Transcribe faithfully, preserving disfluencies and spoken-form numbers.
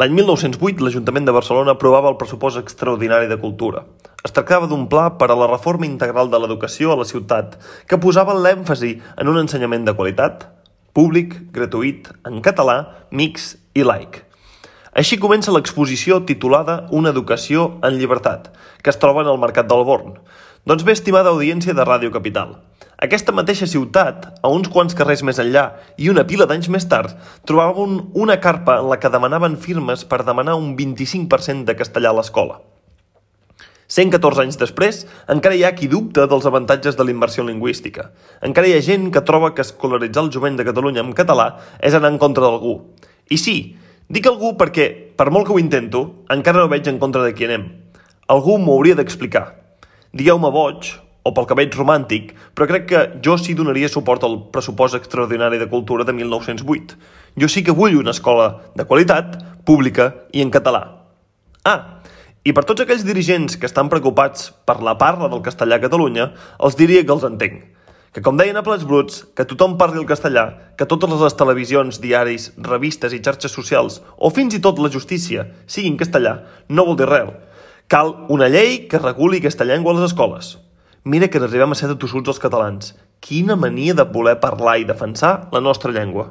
L'any mil nou-cents vuit, l'Ajuntament de Barcelona aprovava el pressupost extraordinari de cultura. Es tractava d'un pla per a la reforma integral de l'educació a la ciutat que posava l'èmfasi en un ensenyament de qualitat, públic, gratuït, en català, mixt i laic. Així comença l'exposició titulada Una educació en llibertat, que es troba en el Mercat del Born. Doncs bé, estimada audiència de Ràdio Capital, aquesta mateixa ciutat, a uns quants carrers més enllà i una pila d'anys més tard, trobaven una carpa en la que demanaven firmes per demanar un vint-i-cinc per cent de castellà a l'escola. cent catorze anys després, encara hi ha qui dubta dels avantatges de la immersió lingüística. Encara hi ha gent que troba que escolaritzar el jovent de Catalunya en català és anar en contra d'algú. I sí, dic algú perquè, per molt que ho intento, encara no veig en contra de qui anem. Algú m'ho hauria d'explicar. Digueu-me boig, o pel que veig romàntic, però crec que jo sí donaria suport al pressupost extraordinari de cultura de mil nou-cents vuit. Jo sí que vull una escola de qualitat, pública i en català. Ah, i per tots aquells dirigents que estan preocupats per la parla del castellà a Catalunya, els diria que els entenc. Que com deien a plats bruts, que tothom parli el castellà, que totes les televisions, diaris, revistes i xarxes socials, o fins i tot la justícia, siguin castellà, no vol dir res. Cal una llei que reguli aquesta llengua a les escoles. Mira que n'arribem a ser de tossuts els catalans. Quina mania de voler parlar i defensar la nostra llengua.